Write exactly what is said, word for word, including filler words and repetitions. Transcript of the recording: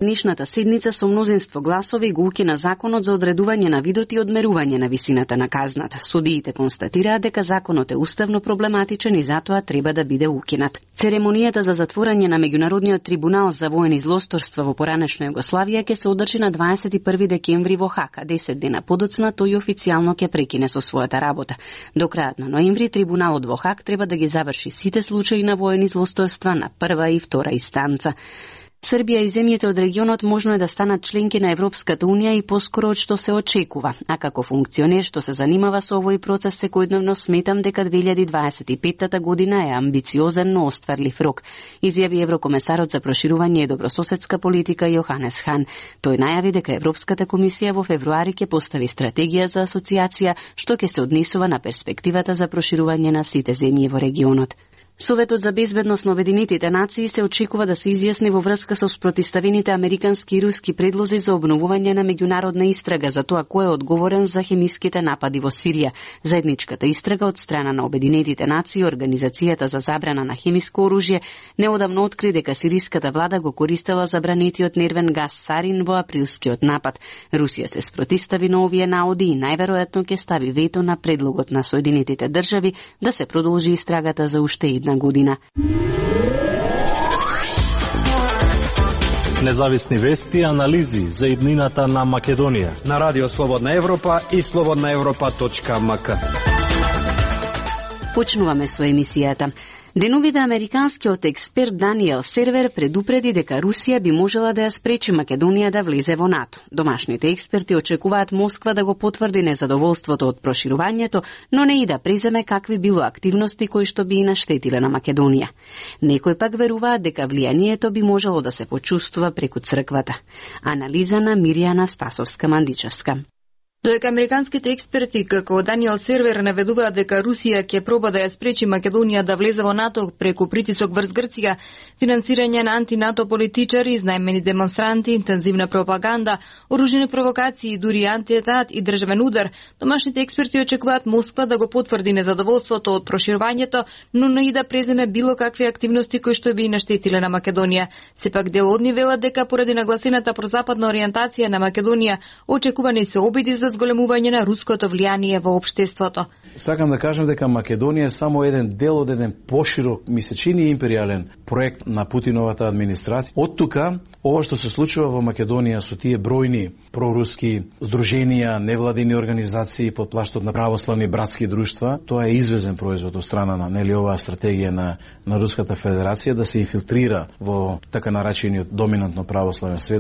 Нишната седница со мнозинство гласови го укина законот за одредување на видот и одмерување на висината на казната. Судиите констатираат дека законот е уставно проблематичен и затоа треба да биде укинат. Церемонијата за затворање на Меѓународниот трибунал за воени злосторства во поранешна Југославија ќе се одржи на дваесет и први декември во Хаг, а десет дена подоцна тој официјално ќе прекине со својата работа. До крајот на ноември трибуналот во Хаг треба да ги заврши сите случаи на воени злосторства на прва и втора инстанца. Србија и земјите од регионот можно е да станат членки на Европската унија и поскоро од што се очекува. А како функционер што се занимава со овој процес секојдневно, сметам дека две илјади дваесет и петта година е амбициозен, но остварлив рок, изјави еврокомесарот за проширување и добрососедска политика Јоханес Хан. Тој најави дека Европската комисија во февруари ќе постави стратегија за асоциација што ќе се однесува на перспективата за проширување на сите земји во регионот. Советот за безбедност на Обединетите нации се очекува да се изјасни во врска со спротиставените американски и руски предлози за обновување на меѓународна истрага за тоа кој е одговорен за хемиските напади во Сирија. Заедничката истрага од страна на Обединетите нации и Организацијата за забрана на хемиско оружје неодамно откри дека сириската влада го користела забранетиот нервен гас сарин во априлскиот напад. Русија се спротистави на овие наоди и најверојатно ќе стави вето на предлогот на Соединетите држави да се продолжи истрагата за уште една година. Независни вести и анализи за иднината на Македонија на Радио Слободна Европа и слободна европа точка ем ка. Почнуваме со емисијата. Деновите американскиот експерт Даниел Сервер предупреди дека Русија би можела да ја спречи Македонија да влезе во НАТО. Домашните експерти очекуваат Москва да го потврди незадоволството од проширувањето, но не и да преземе какви било активности кои што би и наштетиле на Македонија. Некои пак веруваат дека влијанието би можело да се почувствува преку црквата. Анализа на Миријана Спасовска-Мандичевска. Додека американските експерти како Даниел Сервер наведуваат дека Русија ќе проба да ја спречи Македонија да влезе во НАТО преку притисок врз Грција, финансирање на анти-НАТО политичари, изнајмени демонстранти, интензивна пропаганда, оружени провокации, дури антиетат и државен удар, домашните експерти очекуваат Москва да го потврди незадоволството од проширувањето, но не и да преземе било какви активности кои што би наштетиле на Македонија. Сепак дел од нив велат дека поради нагласената прозападна ориентација на Македонија очекувани се обиди за зголемување на руското влијание во општеството. Сакам да кажам дека Македонија е само еден дел од еден поширок, ми се чини империјален проект на Путиновата администрација. Од тука, ова што се случува во Македонија со тие бројни проруски здруженија, невладини организации под плаштот на православни братски друштва, тоа е извезен производ од страна на нели оваа стратегија на на Руската Федерација да се инфилтрира во така наречениот доминантно православен свет.